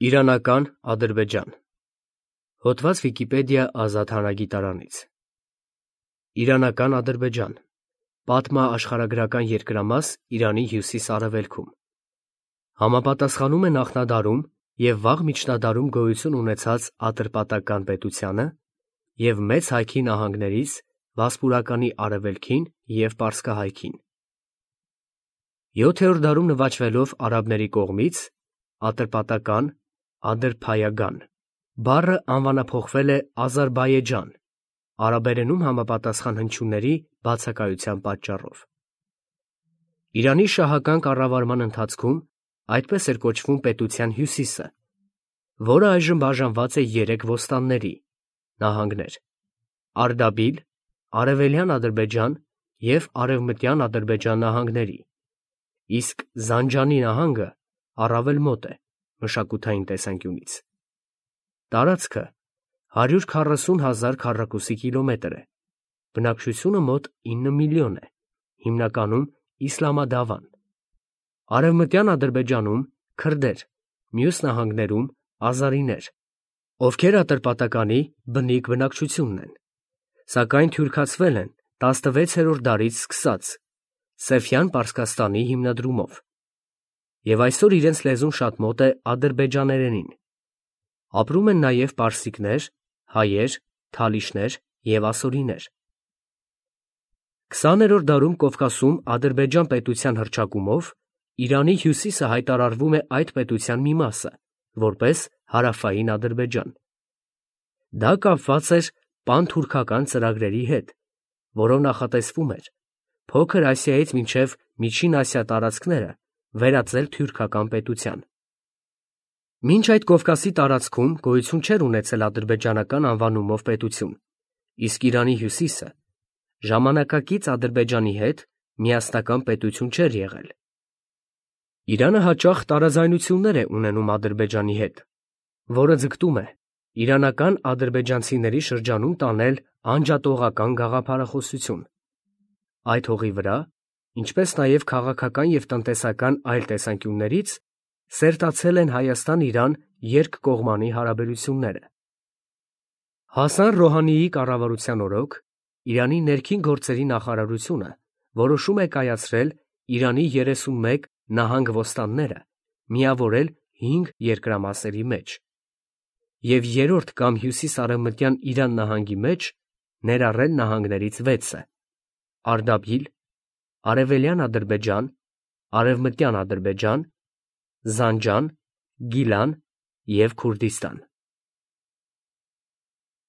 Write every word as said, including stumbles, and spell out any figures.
Իրանական Ադրբեջան Հոդված Վիկիպեդիա ազատ հանրագիտարանից Իրանական Ադրբեջան Պատմաաշխարհագրական երկրամաս Իրանի հյուսիս-արևելքում Համապատասխանում է նախնադարում և վաղ միջնադարում գոյություն ունեցած Ատրպատական պետությանը և Մեծ Հայքի նահանգներից Վասպուրականի արևելքին և Պարսկահայքին։ Յոթերորդ դարում նվաճվելով արաբների կողմից Ատրպատական, Ադրփայագան բառը անվանափոխվել է Ազարբայեջան արաբերենում համապատասխան հնչյունների բացակայության պատճառով։ Իրանի շահական կառավարման ընթացքում այդպես էր կոչվում պետության հյուսիսը, որը այժմ բաժանված է երեք ոստանների նահանգներ՝ Արդաբիլ, Արևելյան Ադրբեջան և Արևմտյան Ադրբեջան նահանգների, իսկ Զանջանի նահանգը առավել մոտ է մշակութային տեսանկյունից։ Տարածքը հարյուր քառասուն հազար քառակուսի կիլոմետր է, բնակչությունը մոտ ինը միլիոն է, հիմնականում իսլամադավան։ Արևմտյան Ադրբեջանում քրդեր, մյուս նահանգներում ազարիներ, ովքեր Ատրպատականի բնիկ բնակչությունն են, սակայն թյուրքացվել են տասնվեցերորդ դարից սկսած Սեֆյան Պարսկաստանի հիմնադրումով և այսօր իրենց լեզուն շատ մոտ է ադրբեջաներենին։ Ապրում են նաև պարսիկներ, հայեր, թալիշներ և ասորիներ։ Քսաներորդ դարում Կովկասում Ադրբեջան պետության հռչակումով Իրանի հյուսիսը հայտարարվում է այդ պետության մի մասը, որպես Հարավային Ադրբեջան։ Դա կապված էր պանթուրքական ծրագրերի հետ, որով նախատեսվում էր Փոքր Ասիայից մինչև Միջին Ասիա տարածքները վերածել թյուրքական պետության։ Մինչ այդ Կովկասի տարածքում գոյություն չէր ունեցել ադրբեջանական անվանումով պետություն, իսկ Իրանի հյուսիսը ժամանակակից Ադրբեջանի հետ միասնական պետություն չէր եղել։ Իրանը հաճախ տարաձայնություններ է ունենում Ադրբեջանի հետ, որը ձգտում է իրանական ադրբեջանցիների շրջանում տանել անջատողական գաղափարախոսություն։ Այդ հողի վրա, ինչպես նաև քաղաքական և տնտեսական այլ տեսանկյուններից, սերտացել են Հայաստան-Իրան երկկողմանի հարաբերությունները։ Հասան Ռոհանիի կառավարության օրոք Իրանի ներքին գործերի նախարարությունը որոշում է կայացրել Իրանի երեսունմեկ նահանգ֊ոստանները միավորել հինգ երկրամասերի մեջ և երրորդ կամ հյուսիս֊արևմտյան Իրան նահանգի մեջ ներառել նահանգներից վեցը՝ Արդաբիլ, Արևելյան Ադրբեջան, Արևմտյան Ադրբեջան, Զանջան, Գիլան և Քուրդիստան։